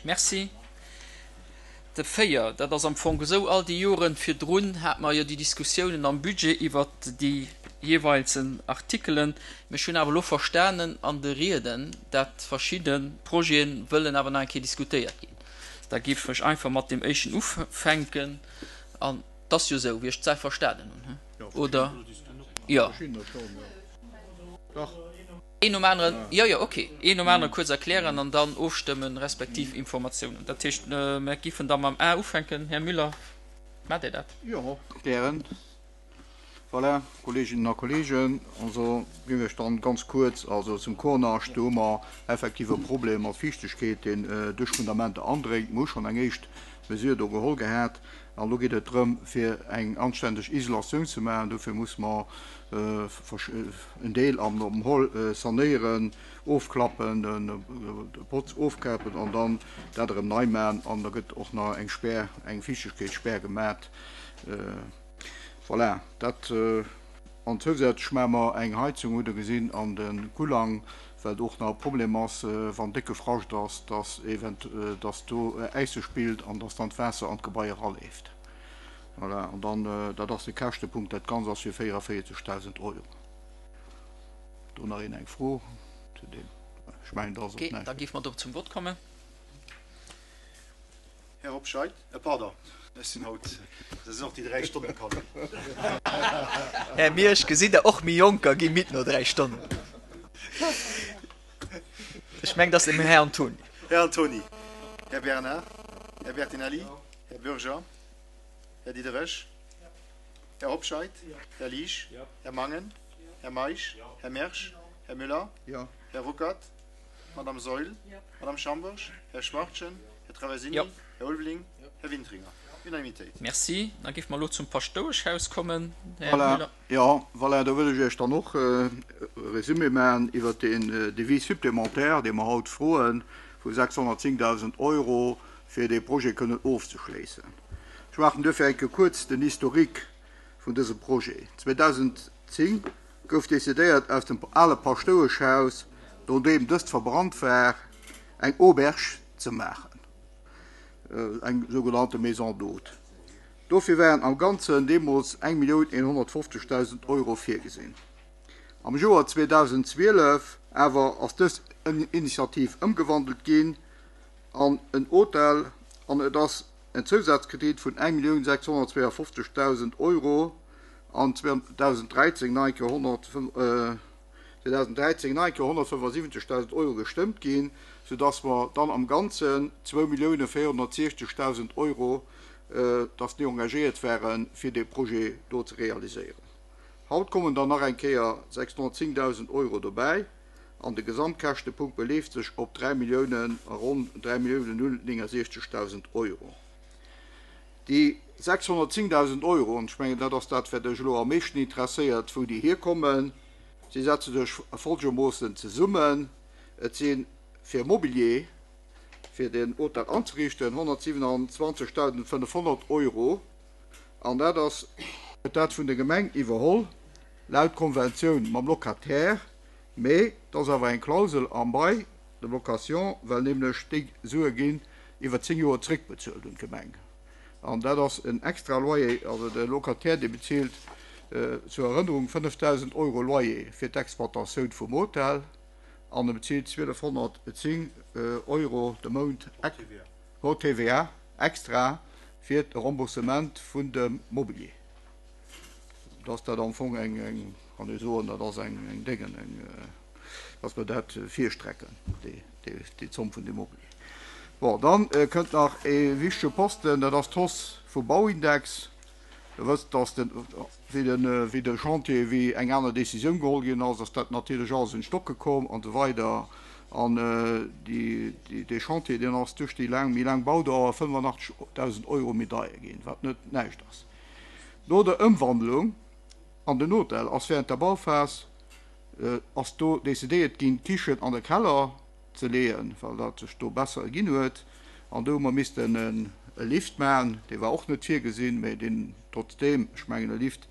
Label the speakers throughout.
Speaker 1: Merci. De 4, dat ass am Fong esou, all déi Joren virdrun hate mer jo déi Diskussiounen am Budget iwwert déi jeeweilsen Artikelen. Mee ech hunn awer elo verstanen an de Rieden, dat verschidde Projete wëllen awer nach eng Kéier diskutéiert ginn. Da géif ech einfach mat deem éischten ufänken. An et ass jo esou, wéi ech d'Saach verstanen hunn, oder? Jo. Een nom aneren, jo, jo, ok, een nom anere kuerz erklären an dann ofstëmmen, respektiv Informatiounen. Dat heescht, mer giffen da mam A ufänken. Här Müller, maacht Dir dat?
Speaker 2: Jo, gären. Voilà, Kolleeginnen a Kolleegen, also ginn ech dann ganz kuerz, also zum Cornage, do hu mer effektiv e Problem mat Fiichtegkeet, deen duerch d'Fundamenter andréngt. Mer hu schonn eng éischt Mesure do geholl gehat an elo geet et drëm, fir eng anständeg Isolatioun ze maachen. Dofir muss mer en Deel am Hall sanéieren, ofklappen, de Botz ofkapen an dann dat erëm nei maachen an da gëtt och nach eng Spär, eng Fiichtegkeetsspär gemat. Voilà, dat. An zousätzlech maache mer eng Heizung, hutt Der gesinn, an de Kullang, well do och nach e Problem ass, wann décke Frascht ass, dass event, dass do Äis sech bilt an dass dann d'Waasser an d'Gebai eraleeft. Voilà, an dann, dat ass de Käschtepunkt, dat Ganzt ass fir 44.000 Euro. Do nach een eng Fro zu deem? Ech mengen, da ass
Speaker 1: och
Speaker 2: näischt
Speaker 1: méi. Da géife mer do zum Vott kommen.
Speaker 3: Här Hobscheit, pardon, ech sinn haut, dat sinn och déi 3 Stonnen, Conny.
Speaker 4: Här Miersch, gesitt Der, och mir Jonker gi midd no 3 Stonnen. Ech mengen, et ass dem Här Antoni.
Speaker 3: Här Antoni, Här Bernard, Här Bertinelli, Här Bürger, Här Diderich, Här Hobscheit, Här Liesch, Här Mangen, Här Meisch, Här Mersch, Här Müller, Här Ruckert, Madame Saeul, Madame Schamberg, Här Schwachtgen, Här Traversini, Här Ulveling, Här Wintringer. Unanimitéit.
Speaker 1: Merci. Da géife mer elo zum Paschtoueschhaus kommen, Här Müller.
Speaker 2: Jo, voilà, do wëll ech Iech dann och e Résumé maachen iwwert deen Devis supplémentaire, dee mer haut froen, vu 610.000 Euro, fir dee Projet kënnen ofzeschléissen. Ech maachen duerfir eng Kéier kuerz den Historique vun dësem Projet. 2010 gouf decidéiert, aus dem ale Paschtoueschhaus, nodeem dëst verbrannt war, eng Auberge ze maachen, eng sougenannte Maison d'hôtes. Dofir waren am Ganzen deemools 1.150.000 Euro virgesinn. Am Joer 2012 awer ass dës Initiativ ëmgewandelt ginn an en Hotel an et ass en Zousazkredit vun 1.652.000 Euro an 2013 nach eng Kéier 2013 nach eng Kéier 175.000 Euro gestëmmt ginn, soudass mer dann am Ganzen 2.460.000 Euro, dass déi engagéiert waren, fir dee Projet do ze realiséieren. Haut kommen dann nach eng Kéier 610.000 Euro dobäi an de Gesamtkäschtepunkt beleeft sech op 3 Milliounen, ronn 3.069.000 Euro. Déi 610.000 Euro, an ech mengen, dat ass dat, wat Iech elo am meeschten interesséiert, wou déi hierkommen, si setze sech folgermoossen zesummen, Et si fir Mobilier, fir den Hotel anzeriichten, 127.500 Euro, an dat ass, gëtt dat vun der Gemeng iwwerholl, laut Konventioun mam Locataire, mee et ass awer eng Klausel am Bail de location, well nämlech déi Sue ginn iwwer 10 Joer zréckbezuelt un d'Gemeng. An dat ass en extra Loyer, also de Locataire dee bezilt zur Erënnerung 5.000 Euro Loyer fir d'Exploitatioun vum Hotel an e bezilt 1.210 Euro de Mount hors TVA extra fir de Remboursement vun dem Mobilier. Da ass dat am Fong eng, kann ee soen, dat ass eng Déngen, eng. dass mer dat virstrecken, déi Zomm vun dem Mobilier. Bon, dann kënnt nach e wichtege Posten, dat ass d'Hausse vum Bauindex. Der wësst, dass den, wéi de, wéi de Chantier, wéi eng aner Décisioun geholl ginn ass, ass dat natierlech alles un d'Stocke komm an esou weider. An déi, dee Chantier, deen ass duerch déi laang, méi laang Baudauer 85.000 Euro méi deier ginn, wat net näischt ass. No der Ëmwandlung an den Hotel ass während der Bauphas ass do decidéiert ginn, d'Kichen an de Keller ze leeën, well dat sech do besser erginn huet. An do hu mer missten e Lift maachen, dee war och net virgesinn, mä deen trotzdeem, ech mengen e Lift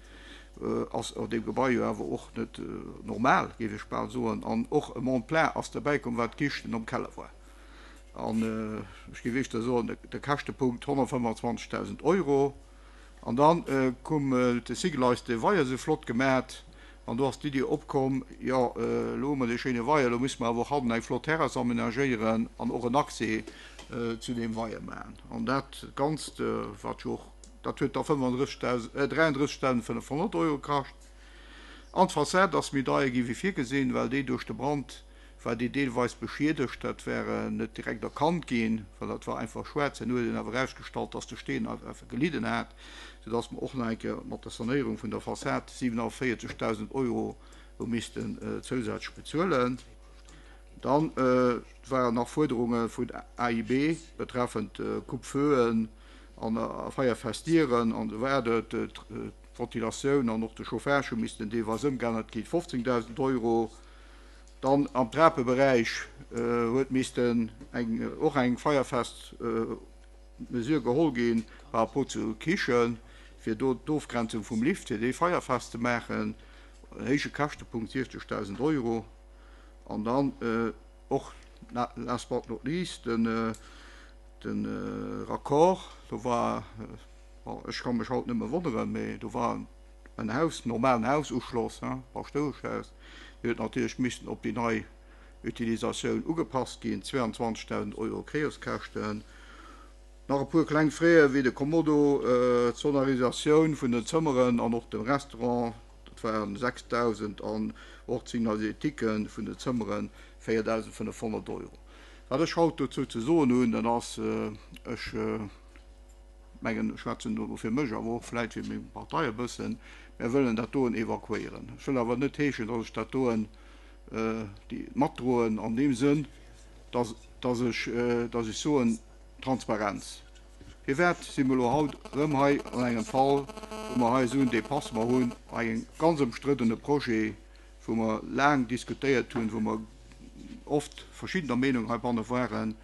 Speaker 2: ass an deem Gebai jo awer och net normal, géif ech bal soen. An och e Monte-plein ass derbäikomm, well d'Kichen am Keller war. An ech géif éischter soen, de Käschtepunkt 125.000 Euro. An dann koum de Sigel eis de Weier esou flott gemat an do ass d'Iddi opkomm, jo elo hu mer dee schéine Weier, elo musse mer awer och hannen eng flott Terrass amenagéieren an och en Accès zu deem Weier maachen. An dat Ganzt, wat jo och, dat huet da 35.000, 33.500 Euro kascht. An d'Fassad ass méi deier gi wéi virgesinn, well déi duerch de Brand war déi deelweis beschiedegt. Dat war net direkt erkannt ginn, well dat war einfach schwaarz. Herno huet een awer erausgestallt, dass de Steen einfach gelidden hat, soudass mer och nach eng Kéier mat der Sanéierung vun der Fassad 47.000 Euro hu missten zousätzlech bezuelen. Dann waren nach Fuerderunge vun AIB betreffend Coupe-feuen an feierfest Dieren an esou weider. D'Ventilatioun an och de Chauffage hu missten deelweis ëmgeännert ginn, 15.000 Euro. Dann am Trapeberäich huet missten eng och eng feierfest Mesure geholl gi par rapport zur Kichen, fir do d'Ofgrenzung vum Lift, fir déi feierfest ze maachen, en héije Käschtepunkt, 60.000 Euro. An dann och last but not least den Raccord, do war, bon, ech ka mech haut nëmme wonneren, mee do war en Haus, normalen Haususchloss, Paschtoueschhaus, dee huet natierlech missen op déi nei Utilisatioun ugepasst ginn, 22.000 Euro Créerskäschten. Nach e puer kleng Frais wéi de Kommodo, d'Sonorisatioun vun den Zëmmeren an och dem Restaurant, dat waren 6.000 an och d'Signalisétique vun den Zëmmeren 4.500 Euro. Wat ech haut dozou ze soen hunn, dat ass, ech mengen, ech schwätzen do fir mech, awer och vläit fir meng Partei e bëssen, mär wëllen dat doen evakuéieren. Ech wëll awer net heeschen, datt ech dat doen matdroen an deem Sënn, datt, datt ech, datt ech soen, Transparenz. Firwat si mer elo haut erëm hei an engem Fall, wou mer hei esou en Dépassement hunn, bei engem ganz ëmstriddene Projet, wou mer laang diskutéiert hunn, wou mer oft verschiddener Meenung heibanne waren.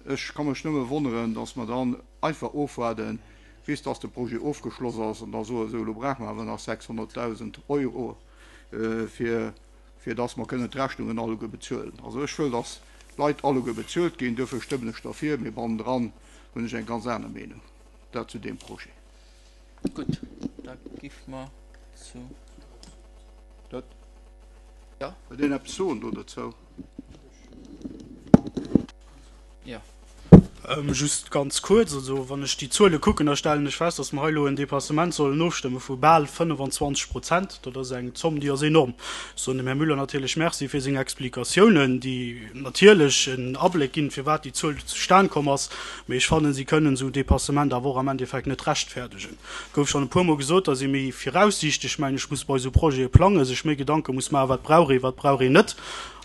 Speaker 2: Ech ka mech nëmme wonneren, dass mer dann einfach ofwaarden, bis dass de Projet ofgeschloss ass, an da soen, esou, elo brauche mer awer nach 600.000 Euro, fir, fir dass mer kënnen d'Rechnungen alleguer bezuelen. Also ech wëll, dass d'Leit alleguer bezuelt ginn, duerfir stëmmen ech derfir, mee bannendran hunn ech eng ganz aner Meenung. Dat zu deem Projet.
Speaker 1: Gutt, da gi mer zu.
Speaker 2: Dat. Ja. Wëllt een eppes soen do dozou?
Speaker 1: Jo.
Speaker 5: Just ganz kuerz, also wann ech déi Zuele kucken, da stellen ech fest, dass mer hei elo en Dépassement sollen ofstëmme vu bal 25 Prozent. Dat ass eng Zomm, déi ass enorm. Ech soen dem Här Müller natierlech Merci fir seng Explikatiounen, déi natierlech en Abléck ginn, firwat déi Zuel do zustan komm ass. Mee ech fannen, si kënnen esou en Dépassement awer och am Endeffekt net rechtfäerdegen. Et gouf schonn e puermol gesot, dass ee méi viraussiichteg, mengen ech, muss bei esou Projete plangen, sech méi Gedanke muss maachen, wat brauch ee, wat brauch een net.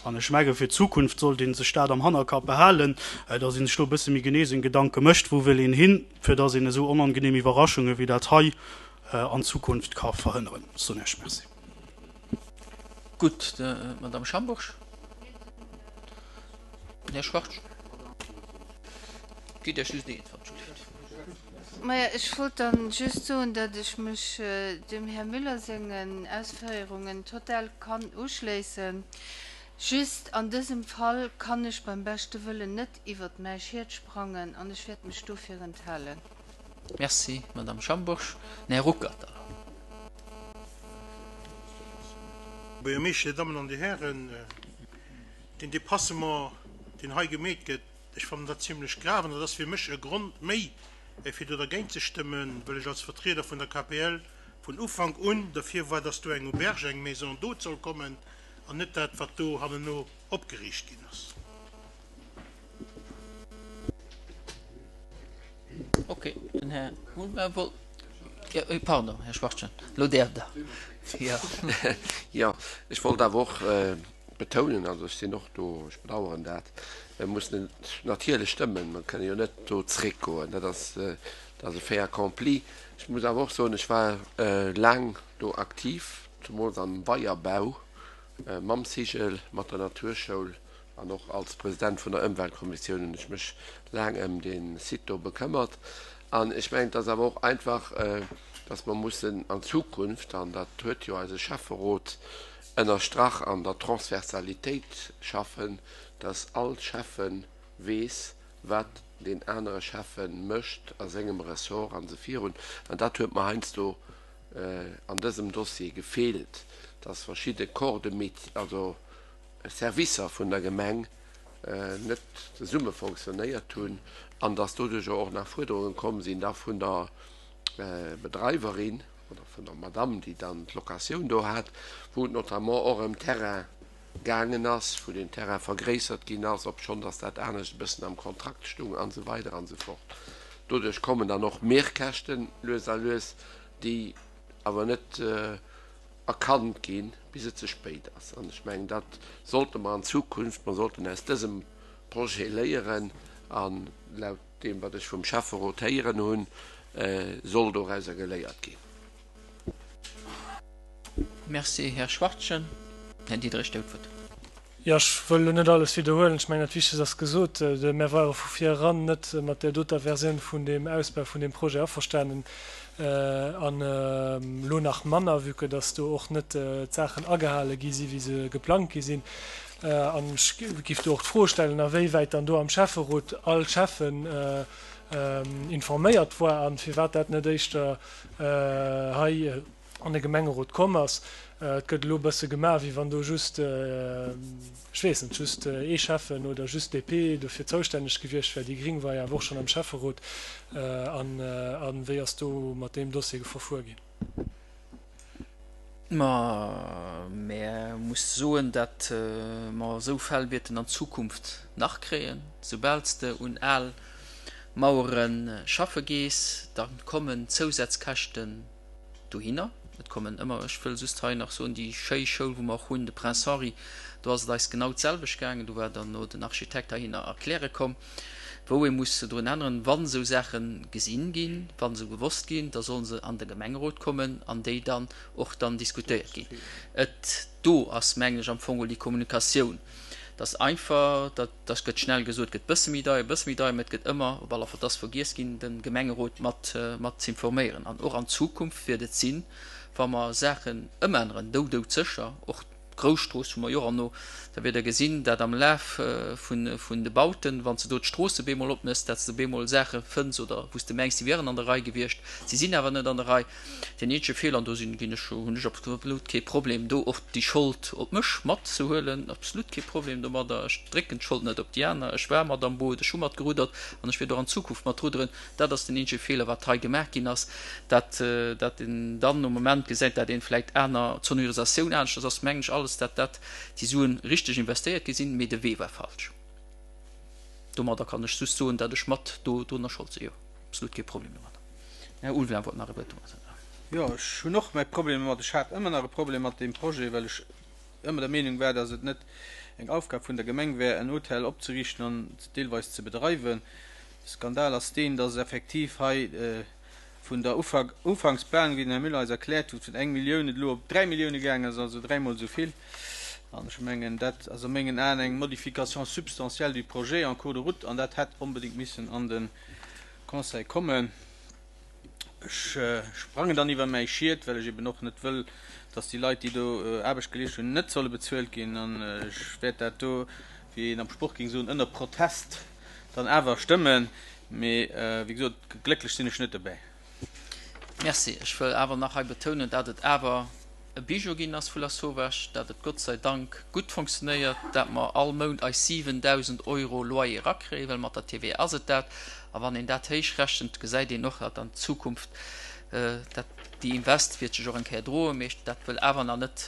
Speaker 5: An ech menge fir d'Zukunft sollt ee sech dat am Hannerkapp behalen, dass ee sech do e bësse méi genee seng Gedanke mécht, wou wëll een hin, fir dass een esou onangenehm Iwwerraschunge wéi dat hei an Zukunft ka verhënneren. Ech soen Iech Merci.
Speaker 1: Gutt, d'Madame Schambourg. Den Här Schwartz. Gitt Iech just eens, wann et gutt geet.
Speaker 6: Maja, ech wollt dann just soen, datt ech mech dem Här Müller sengen Ausféierungen total kann uschléissen. Just an dësem Fall kann ech beim beschte Wëllen net iwwert mäi Schiet sprangen an ech wäert mech dofir enthalen.
Speaker 1: Merci, Madame Schambourg. Den Här Ruckert da.
Speaker 7: Buergermeeschter, Dir Dammen an Dir Hären, deen Dépassement, deen hei gemeet gëtt, Ech fannen dat zimlech grave an dat ass fir mech e Grond méi, fir do dergéint ze stëmmen, well ech als Vertrieder vun der KPL vun Ufank un derfir war, dass do eng Auberge, eng Maison d'hôte soll kommen an net dat, wat do hanneno opgeriicht ginn ass.
Speaker 1: Ok, den Här Mulmer wollt, jo, pardon, Här Schwachtgen, elo däerft Der, jo.
Speaker 8: Jo, ech wollt awer och betounen, also ech sinn och do, ech bedauern dat, mir mussen et natierlech stëmmen, mer kënnen jo net do zréckgoen, dat ass, dat ass e Fait accompli. Ech muss awer och soen, ech war laang do aktiv, zemools am Weierbau mam Cigl, mat der Naturschoul an och als President vun der Ëmweltkommissioun hunn ech mech laang ëm dee Site do bekëmmert. An ech mengen, et ass awer och einfach, dass mer mussen an Zukunft, an dat huet jo eise Schäfferot ënnerstrach, an der Transversalitéit schaffen, dass all Schäffe weess, wat deen anere Schäffe mécht a sengem Ressort an esou virun. An dat huet mer heiansdo an dësem Dossier gefeelt, dass verschidde Corps de métier, also Servicer vun der Gemeng net zesumme fonctionnéiert hunn an dass doduercher och nach Fuerderunge komm sinn da vun der Bedreiwerin oder vun der Madame, déi dann d'Locatioun do hat, wou et notamment och ëm Terrain gaangen ass, wou den Terrain vergréissert ginn ass, obschonn dass dat anescht e bëssen am Kontrakt stung an esou weider an esou fort. Doduerch kommen dann och Mehrkäschten lues a lues, déi awer net erkannt ginn, bis et ze spéit ass. An ech mengen, dat sollte mer an Zukunft, mer sollten aus dësem Projet léieren an laut deem, wat ech vum Schäfferot héieren hunn, soll dorauser geléiert ginn.
Speaker 1: Merci, Här Schwachtgen. Här Diderich, Dir hutt d'Wuert.
Speaker 9: Jo, ech wëll elo net alles widderhuelen. Ech mengen, dat Wichtegst ass gesot. Mär ware vu vir eran net mat där doter Versioun vun deem Ausbau vun deem Projet averstanen an elo nach manner, vue que dass do och net d'Saachen agehale gi si wéi se geplangt gi sinn. An ech giff do och d'Fro stellen, awéiwäit dann do am Schäfferot all Schäffen informéiert war an firwat dat net éischter hei an de Gemengerot komm ass. Et gëtt elo e bësse gemaach, wéi wann do just, ech weess net, just ee Schäffen oder just DP dofir zoustänneg gewiescht wär. Déi Gring war jo awer och schonn am Schäfferot. A wéi ass do mat deem Dossier verfuer ginn?
Speaker 1: Ma mär muss soen, dat mer esou Fäll wäerten an Zukunft nach kréien. Soubal s de un al Mauere schaffe gees, da kommen Zousätzkäschten dohinner. Et kommen ëmmer, ech wëll just hei nach soen, déi schéi Schoul, wou mer och hunn, de Prince Henri, do ass et eis genau d'selwecht gaangen. Do war dann no den Architekt heihinner erkläre komm, wou ee muss drun änneren. Wa sou Saache gesinn ginn, wa se gewosst ginn, da solle se an de Gemengerot kommen an déi dann och dann diskutéiert ginn. Et do ass, mengen ech, am Fong geholl déi Kommunikatioun, dass einfach, dat dat gëtt schnell gesot, gëtt bësse méi deier, bësse méi deier, mä et gëtt ëmmer, op alle Fall, et ass vergiess ginn, de Gemengerot mat mat z'informéieren. An och an Zukunft wäert et sinn, wa mer Saachen ëmänneren, dou doudsécher, och d'Grousstrooss hu mer jo och erno, da wäert Der gesinn, dat am Laf vun vun de Bauten, wann s de do d'Stroosse bemol opmëss, dat s de bemol Saache fënns oder wou s de mengs, déi wieren an der Rei gewiescht, si sinn awer net an der Rei. Deen eenzege Feeler, an do sinn, ginn ech, hunn ech absolut kee Problem, do och déi Schold op mech matzehuelen, absolut kee Problem domadder. Ech drécken d'Schold net op déi aner. Ech war mat am Boot, ech hu mat geruddert an ech wäert och an Zukunft mat rudderen. Dat ass den eenzege Feeler, wat hei gemaach ginn ass, dat, dat een dann um Moment gesäit, dat een vläicht aner, d'Sonorisatioun aneschters ass, mengen ech alles, dat dat déi Suen richteg investéiert gi sinn, mee de Wee war falsch. Domadder kann ech just soen, dat ech mat do drunner Schold sinn, jo. Absolut kee Problem domadder. Här Ulveling wollt nach e Wuert domadder.
Speaker 10: Jo, ech hunn och mäi Problem domat. Ech hat ëmmer nach e Problem mat deem Projet, well ech ëmmer der Meenung war, dass et net eng Aufgab vun der Gemeng wär, en Hotel opzeriichten an deelweis ze bedreiwen. De Skandal ass deen, dass effektiv hei vun der Ufanksplanung, wéi den Här Müller eis erkläert huet, vun eng Millioun et elo op 3 Millioune gaangen ass, also dräimol esou vill. An ech mengen, dat ass a mengen Aen eng Modification substantielle du projet en cours de route an dat hätt onbedéngt missen an de Conseil kommen. Ech sprangen dann iwwer mäi Schiet, well ech eben och net wëll, dass déi Leit, déi do Aarbecht geleescht hunn, net solle bezuelt ginn. An ech wäert dat do, wéi een am Sport géing soen, ënner Protest dann awer stëmmen. Mee wéi gesot, glécklech sinn ech net dobäi.
Speaker 1: Merci. Ech wëll awer nach hei betounen, dat et awer e Bijou ginn ass vu Lasauvage, dat et Gott sei Dank gutt fonctionnéiert, dat mer all Mount eis 7.000 Euro Loyer erakréien, well mat der TVA ass et dat. A wann een dat héichrechent, gesäit een och, dat an Zukunft dat déi Invest wäert sech och eng Kéier droen. Mee dat wëll awer nach net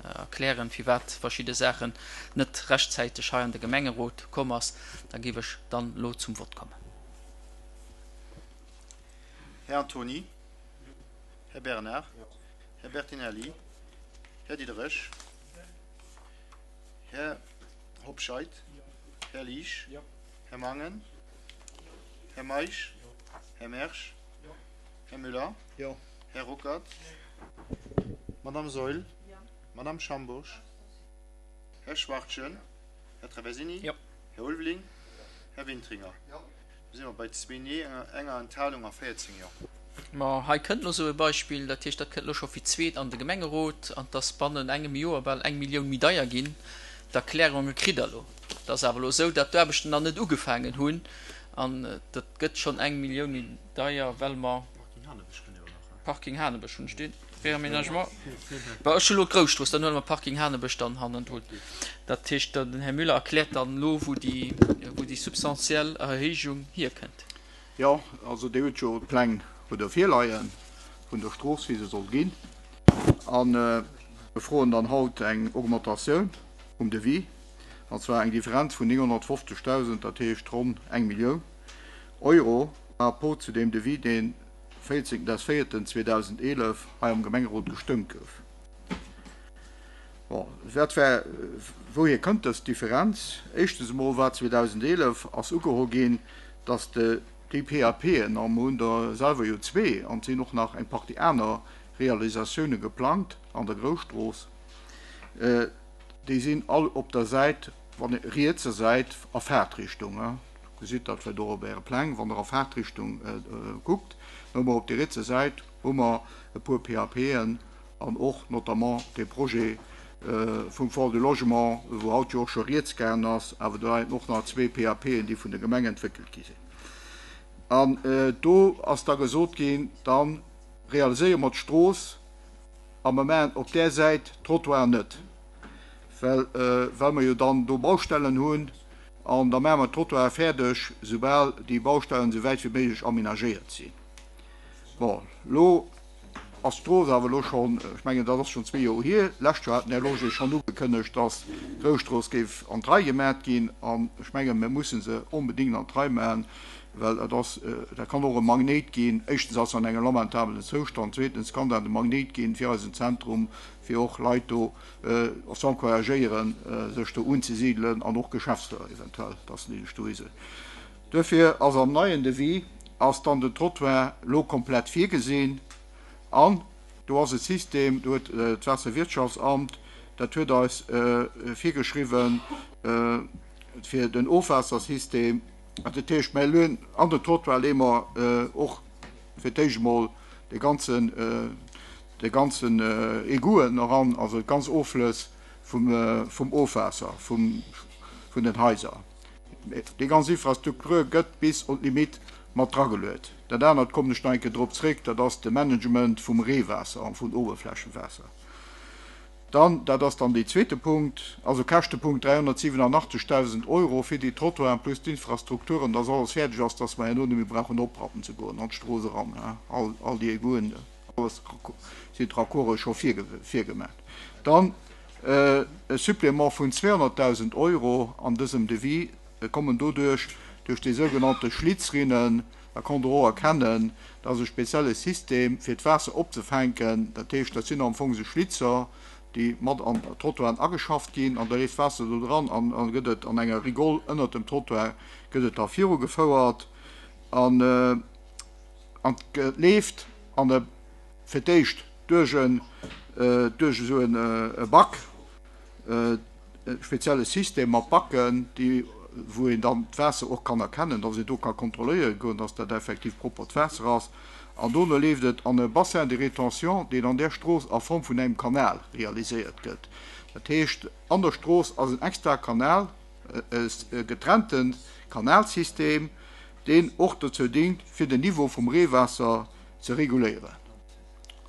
Speaker 1: erklären, firwat verschidde Saachen net rechtzäiteg hei an de Gemengerot komm ass. Da géif ech dann elo zum Vott kommen.
Speaker 3: Här Antony, Här Bernard, Här Bertinelli, Här Diderich, Här Hobscheit, Här Liesch, Här Mangen, Här Meisch, Här Mersch, Här Müller, Här Ruckert, Madame Saeul, Madame Schambourg, Här Schwachtgen, Här Traversini, Här Ulveling, Här Wintringer. Do si mer bei zwee Nee, enger Enthalung a 14 Jo.
Speaker 1: Ma hei kënnt elo esou e Beispill, dat heescht, dat kënnt elo scho fir d'zweet an de Gemengerot an 't ass bannen engem Joer bal eng Millioun méi deier ginn. D'Erklärunge kritt Der elo. Et ass awer elo esou, datt d'Aarbechten nach net ugefaangen hunn an dat gëtt schonn eng Millioun méi deier, well mer. Parking Hanebësch hunn ech deen Réaménagement. Bon, ech hu lo d'Grousstrooss, dann huele mer Parking Hanebësch dann hannendrun. Dat heescht, den Här Müller erkläert dann elo, wou déi, wou déi substantiell Erhéijung hierkënnt.
Speaker 2: Jo, also Dir hutt jo d'Pläng hutt Der virleie vun der Strooss, wéi se soll ginn. A mir froen dann haut eng Augmentatioun vum Devis, an zwar eng Differenz vun 950.000, dat heescht ronn eng Millioun Euro par rapport zu deem Devis, deen 14.04.2011 hei am Gemengerot gestëmmt gouf. Bon, wat war, wouhier kënnt dës Differenz? Éischtens emol war 2011 ass ugeholl ginn, dass de déi PAPen, a mer hunn der selwer jo zwee, an et sinn och nach eng Partie aner Realisatioune geplangt an der Grousstrooss, déi sinn all op der Säit, wann ee rietser Säit a Faartrichtung, gesitt dat vläicht och op Äre Pläng, wann Der a Faartrichtung kuckt, da hu mer op der rietser Säit hu mer e puer PAPen an och notamment dee Projet vum Fonds du Logement, wou haut jo och scho rieds gaangen ass, awer do leien och nach zwee PAPen, déi vun der Gemeng entwéckelt gi sinn. An do ass da gesot ginn, da realiséiere mer d'Strooss a mer maachen op där Säit d'Trottoiren net, well well mer jo dann do Baustellen hunn. An da maache mer d'Trottoire fäerdeg, soubal déi Baustellen esou wäit wéi méiglech amenagéiert sinn. Bon, elo ass d'Strooss awer elo schonn, ech mengen, dat ass schonn zwee Joer hier, d'lescht Joer hat den Här Loger schonn ugekënnegt, dass d'Groustrooss géif an d'Rei gemat ginn. An ech mengen, mir musse se onbedéngt an d'Rei maachen, well dat ass, dat kann och e Magnéit ginn. Éischtens ass se an engem lamentabelen Zoustand, zweetens kann dat e Magnéit ginn fir eisen Zentrum, fir och Leit do ze encouragéieren, sech do unzesidelen an och Geschäfter eventuell, dass déi sech do hisetzen. Duerfir ass am neien Devis ass dann den Trottoir elo komplett virgesinn an do ass e System, do huet d'Waasserwirtschaftsamt, dat huet eis virgeschriwwen fir den Ofwaassersystem, dat heescht, mir leeën an den Trottoir leeë mer och fir d'éischt emol de ganzen, de ganzen Egouten eran, also d'ganz Offlëss vum, vum Ofwaasser vum, vun den Haiser. Déi ganz Infrastruktur gëtt bis un d'Limite mat drageluet. Dat anert kommen ech nach eng Kéier drop zréck, dat ass de Management vum Reewaasser an vum Oberflächenwaasser. Dann, dat ass dann dee zweete Punkt, also Käschtepunkt 387.000 Euro fir déi Trottoiren plus d'Infrastrukturen, dass alles fäerdeg ass, dass mer herno net méi brauchen oprappen ze goen an d'Strooss eran, all, all déi Egouen, alles sinn d'Raccorde scho virgemaach. Dann e Supplément vun 200.000 Euro an dësem Devis kommen doduerch, duerch déi sougenannte Schlitzrinnen, Da konnt Der och erkennen, dat ass e spezielle System, fir d'Waasser opzefänken. Dat heescht, dat sinn am Fong esou Schlitzer, déi mat an d'Trottoiren ageschafft ginn an da leeft d'Waasser do dran an da gëtt et an enger Rigole ënnert dem Trottoir gëtt et da virugefouert an an et leeft an e fir d'éischt duerch en duerch esou en e Back. E spezielle System mat Backen, déi, wou een dann d'Waasser och kann erkennen, dass een do ka kontrolléiere goen, dass dat effektiv proppert Waasser ass. An dono leeft et an e Bassin de rétention, deen an där Strooss a Form vun engem Kanal realiséiert gëtt. Dat heescht, an der Strooss ass en extrae Kanal, e getrennte Kanalsystem, deen och dozou dingt, fir den Niveau vum Reewaasser ze reguléieren.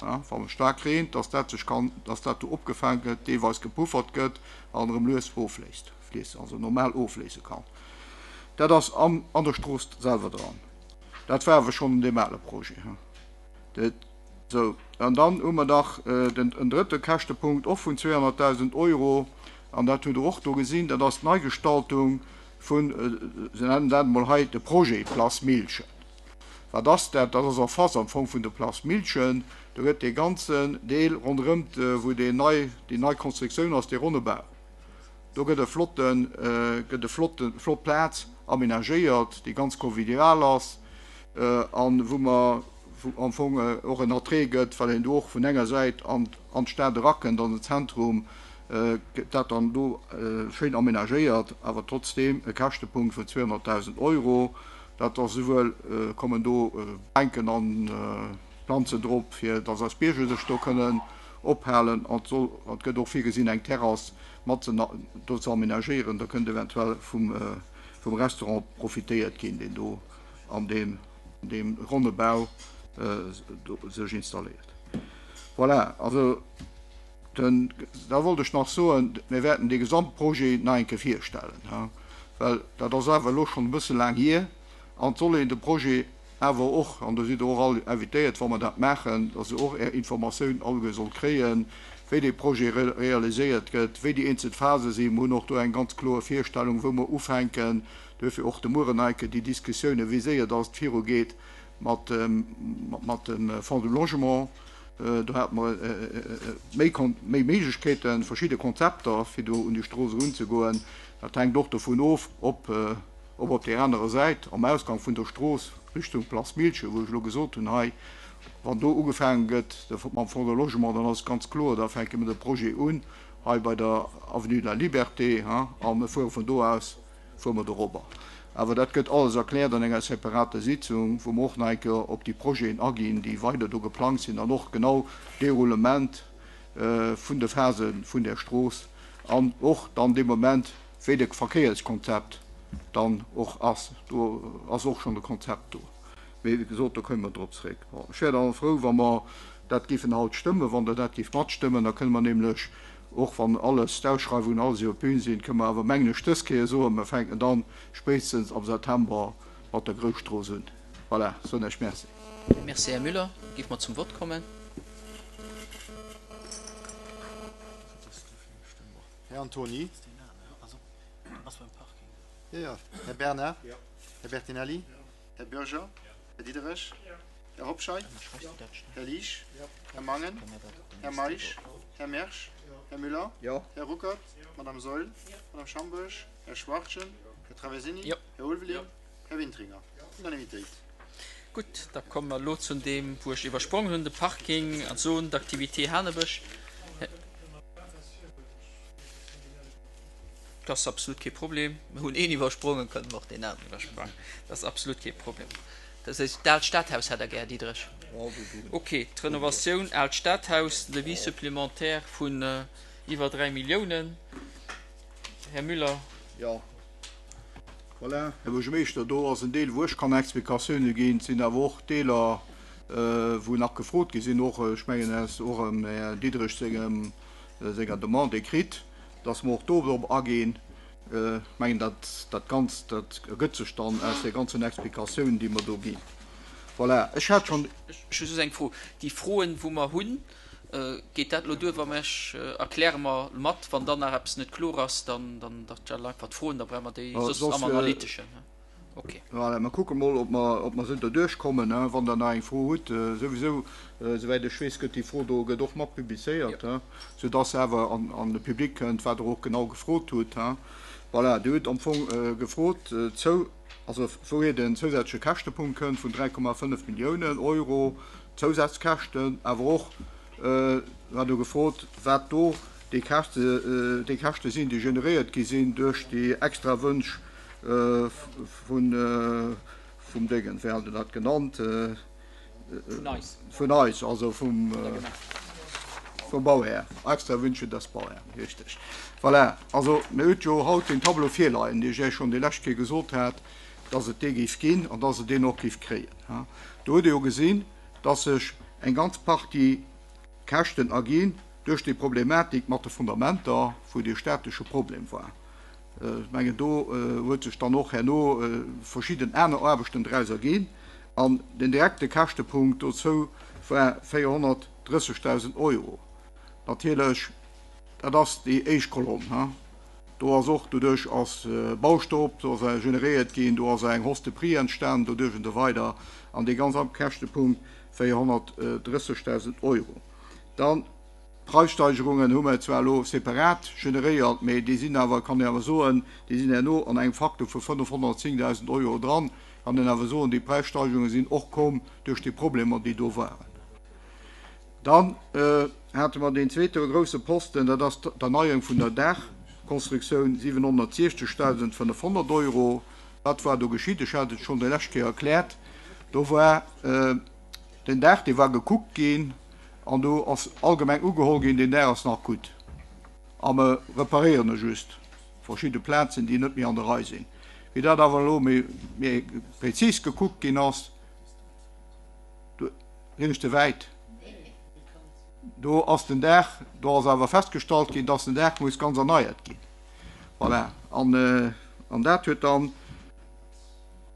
Speaker 2: Wann et staark reent, dass dat sech kann, dass dat do opgefaang gëtt, deelweis gepuffert gëtt an erëm lues ofléisst, fliesse, also normal ofléise kann. Dat ass an an der Strooss selwer dran. Dat war awer schonn an deem ale Projet. Dat, sou, an dann hu mer nach den en drëtte Käschtepunkt och vun 200.000 Euro, an dat hutt Der och do gesinn, dat ass d'Neigestaltung vun, se nennen dat emol hei de Projet Place Millchen. Wat ass dat? Dat ass en face am Fong vun der Place Millchen. Do gëtt dee ganzen Deel ronderëm, wou deen nei, déi nei Konstruktioun ass, dee ronne Bau, do gëtt e flotten, gëtt e flotten, flott Plaz aménagéiert, déi ganz convivial ass an wou mer, wou am Fong och en Attrait gëtt, well een do och vun enger Säit an, an d'Stad erakënnt, an den Zentrum, gëtt dat dann do schéin aménagéiert, awer trotzdeem e Käschtepunkt vun 200.000 Euro. Dat ass esouwuel kommen do Bänken an Planzen drop, fir dass eis Bierger sech do kënnen. ophalen an et soll, an et gëtt och virgesinn, eng Terrass mat ze do ze amenagéieren. Da kënnt eventuell vum vum Restaurant profitéiert ginn, deen do an deem deem ronne Bau do sech installéiert. Voilà, also den, da wollt ech nach soen, mir wäerten dee Gesamtprojet nach eng Kéier virstellen, well dat ass awer elo schonn e bësse laang hier an et soll een de Projet awer och, an do sidd Der och all invitéiert, wa mer dat maachen, dass Der och Är Informatioun alleguer sollt kréien, wéi dee Projet realiséiert gëtt, wéi déi eenzel Phase sinn. Mer hunn och do eng ganz kloer Virstellung, wou mer ufänken. Duerfir och de Mueren nach eng Kéier déi Diskussiounen, wéi séier dass et virugeet mat dem Fonds du Logement. Do hate mer méi méi Méiglechkeeten, verschidde Konzepter, fir do un déi Strooss erunzegoen. Dat hänkt och dovun of, ob ob op där anerer Säit am Ausgang vun der Strooss Richtung Place Milchen, wou ech elo gesot hunn hei, wann do ugefaange gëtt mam Fonds de Logement, dann ass et ganz kloer, da fänke mir de Projet un hei bei der Avenue de la Liberté a mir fuere vun do aus, fuere mer dorobber. Awer dat gëtt alles erkläert an enger separater Sitzung, wou mer och nach eng Kéier op déi Projeten aginn, déi weider do geplangt sinn an och genau d'Déroulement vun de Phase vun där Strooss an och dann dee Moment, wéi de Verkéierskonzept dann och ass. Do ass och schonn e Konzept do. Mee wéi gesot, do komme mer drop zréck. Bon, ech wär da frou, wa mer dat géifen haut stëmmen, wann Der dat géift matstëmmen. Da kënne mer nämlech, och wann alles, d'Ausschreiwungen alles iwwer d'Bün sinn, kënne mer awer, mengen ech, dës Kéier soen, mer fänken dann spéitstens am September mat der Grousstrooss un. Voilà, soen ech Merci.
Speaker 1: Merci, Här Müller. Géife mer zum Vott kommen.
Speaker 3: Här Antoni. Jo, jo. Här Bernard. Här Bertinelli. Här Bürger. Här Diderich. Här Hobscheit. Här Liesch. Här Mangen. Här Meisch. Här Mersch. Här Müller. Här Ruckert. Madame Saeul. Madame Schambourg. Här Schwachtgen. Här Traversini. Här Ulveling. Här Wintringer. Unanimitéit.
Speaker 1: Gutt, da komme mer elo zu deem, wou ech iwwersprongen hunn, de Parking an d'Zone d'activité Hanebësch. Dat ass absolut kee Problem.
Speaker 4: Mir hunn een iwwersprongen, kënnen mer och deen aneren
Speaker 1: iwwersprangen. Dat ass absolut kee Problem. Dat heescht, d'Aalt Stadhaus hätt Der gär, Här Diderich? Okay, d'Renovatioun Aalt Stadhaus, Devis supplémentaire vun iwwer 3 Milliounen. Här Müller.
Speaker 2: Jo. Voilà, Här Buergermeeschter, do ass en Deel, wou ech kann Explikatioune ginn. Et sinn awer och Deeler, wou nach gefrot gi sinn, och, ech mengen, aus och dem Här Diderich sengem, senger Demande écrite, dass mer och do drop aginn. Ech mengen, dat, dat Ganzt, dat ergëtt sech dann aus de ganzen Explikatiounen, déi mer do ginn. Voilà, ech hat schonn.
Speaker 1: Ech hu just eng Fro. Déi Froen, wou mer hunn, Geet dat elo duer, wa mer ech erkläre mer mat, wann dann nach eppes net kloer ass, dann dann stelle einfach d'Froen, da brauche mer déi soss am Analyteschen. Okay.
Speaker 2: Voilà, mer kucke mol, ob mer, ob mer esou derduerch kommen. Wann Der nach eng Fro hutt, souwisou, souwäit ech weess, gëtt déi Fro do gëtt och mat publizéiert, soudass se awer an, an de Public kënnt, wat Der och genau gefrot hutt. Voilà, Dir hutt am Fong gefrot zou, also wouhier den zousätzleche Käschtepunkt kënnt vun 3,5 Milliounen Euro, Zousazkäschten, awer och war do gefrot, wat do déi Käschte, déi Käschte sinn, déi generéiert gi sinn duerch déi extra Wënsch vun, vum Déngen, wéi hat en dat genannt?
Speaker 1: Vun eis.
Speaker 2: Vun eis, also vum, vum Bauhär, extra Wünsche des Bauherrn, richtig. Voilà, also mir hutt jo haut deen Tableau virleien, dee ech Iech schonn déi lescht Kéier gesot hat, dass et dee géif ginn an dass e deen och géif kréien. Do huet ee jo gesinn, dass sech eng ganz Partie Käschten erginn duerch déi Problematik mat de Fundamenter, wou dee statesche Problem war. Ech mengen, do huet sech dann och herno verschidden aner Aarbechten draus erginn. An den direkte Käschtepunkt dozou war 430.000 Euro. Natierlech, dat ass déi éischt Kolonn. Do ass och, doduerch ass Baustopp do ass generéiert ginn, do ass eng Hausse de prix entstanen doduerch an esou weider an dee ganz Käschtepunkt 430.000 Euro. Dann d'Preissteigerungen hu mer zwar elo separat generéiert, mee déi sinn awer, kann een awer soen, déi sinn herno an engem Faktor vu 510.000 Euro dran, kann een awer soen, déi Preissteigerunge sinn och komm duerch déi Problemer, déi do waren. Dann hate mer deen zweete grouse Posten, dat ass d'Erneierung vun der Daachkonstruktioun, 760.500 Euro. Wat war do geschitt? Ech hat et schonn déi lescht Kéier erkläert. Do war den Daach, dee war gekuckt ginn. An do ass allgemeng ugeholl ginn, deen Daach ass nach gutt a mer reparéieren e just verschidde Plazen, déi net méi an der Rei sinn. Wéi dat awer elo méi prezis gekuckt ginn ass, do sinn ech ze wäit, do ass den Daach, do ass awer festgestallt ginn, dass den Daach muss ganz erneiert ginn. Voilà. An dat huet dann.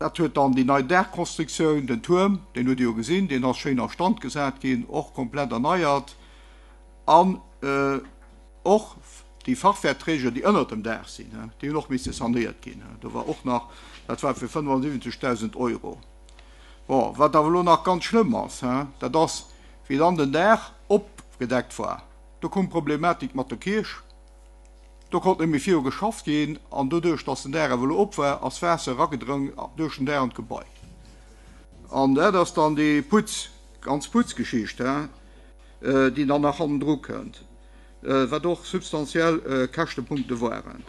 Speaker 2: Dat huet dann déi nei Daachkonstruktioun, den Tuerm, deen hutt Dir jo gesinn, deen ass schéin a Stand gesat ginn, och komplett erneiert an och déi Fachwerkträger, déi ënnert dem Daach sinn, déi hunn och misse sanéiert ginn. Do war och nach, dat war fir 75.000 Euro. Bon, wat awer elo nach ganz schlëmm ass, dat ass, wéi dann den Daach opgedeckt war, do koum d'Problematik mat der Kierch. Do konnt net méi viru geschafft ginn an doduerch, dass den Daach awer elo op war, ass Waasser eragedrëngt duerch den Daach an d'Gebai. An dat ass dann déi Putz, ganz Putzgeschicht, déi dann nach hannendru kënnt, wat och substantiell Käschtepunkte waren.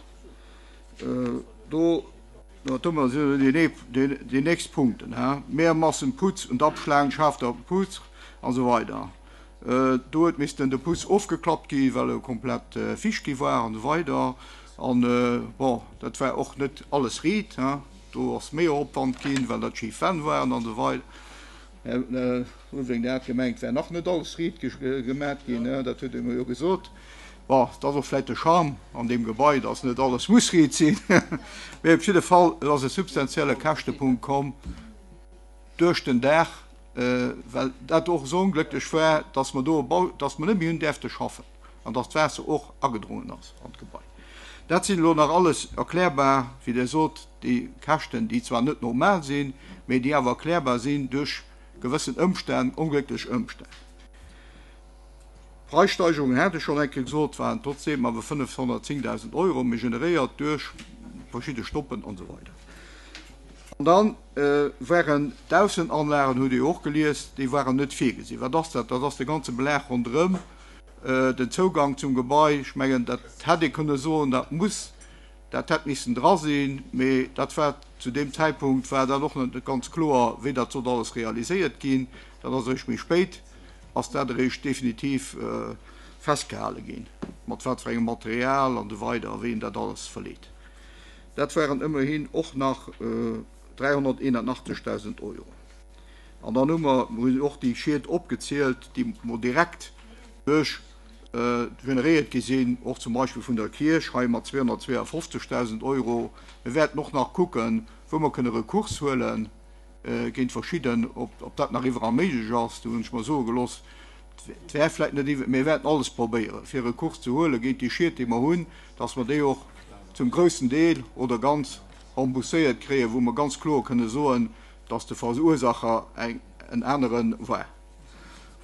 Speaker 2: Do, domat sinn déi nächst Punkten, Mehrmassen Putz und Abschlagen, Schafter Putz an esou weider. Do huet missten de Bus ofgeklappt gi well e komplett ficht gi war an esou weider. An bon, dat war och net alles riit, hein. Do ass méi Opwand ginn, well dat schif Wänn waren an esou weider. Här Ulveling, Der hat gemengt, et wär nach net alles riit gemat ginn, hein, dat huet Der mer jo gesot. Bon, et ass och vläicht de Charme an deem Gebai, dass net alles muss riit sinn. Mee op jidde Fall, et ass e substantielle Käschtepunkt komm duerch den Daach. well dat och esou onglécklech war, dass mer do e Bau, dass mer net méi hunn däerfte schaffen an dass d'Waasser och agedrongen ass an d'Gebai. Dat sinn elo nach alles erklärbar, wéi Der sot, déi Käschten, déi zwar net normal sinn, mä déi awer erklärbar sinn duerch gewëssen Ëmstänn, onglécklech Ëmstänn. D'Preissteigerungen, hat ech schonn eng Kéier gesot, waren trotzdeem awer 510.000 Euro, méi generéiert duerch verschidde Stoppen an esou weider. An dann waren d'Aussenanlagen, hutt Dir jo och gelies, déi waren net virgesinn. Wat ass dat? Dat ass de ganze Belag ronderëm den Zougang zum Gebai. Ech mengen, dat hätt ee kënne soen, dat muss, dat hätt missen dra sinn, mee dat war zu deem Zäitpunkt war dat och net ganz kloer, wéi dat sollt alles realiséiert ginn. Dat ass eréischt méi spéit ass dat eréischt definitiv festgehale ginn, mat wat fir engem Material an esou weider a wéi een dat alles verleet. Dat waren ëmmerhin och nach 381.000 Euro. An dann hu mer hunn och déi Schied opgezielt, déi mer direkt duerch generéiert gi sinn, och zum Beispill vun der Kierch hei mat 252.000 Euro. Mir wäerten och nach kucken, wou mer kënne Recours huelen. géint verschidden, ob dat nach iwwerall méiglech ass, do hunn ech mer soe gelooss, et wär vläicht net iwwer, mir wäerten alles probéieren, fir Recours ze huele géint déi Schied, déi mer hunn, dass mer déi och zum groussen Deel oder ganz rembourséiert kréien, wou mer ganz kloer kënne soen, dass de Verursacher en anere war.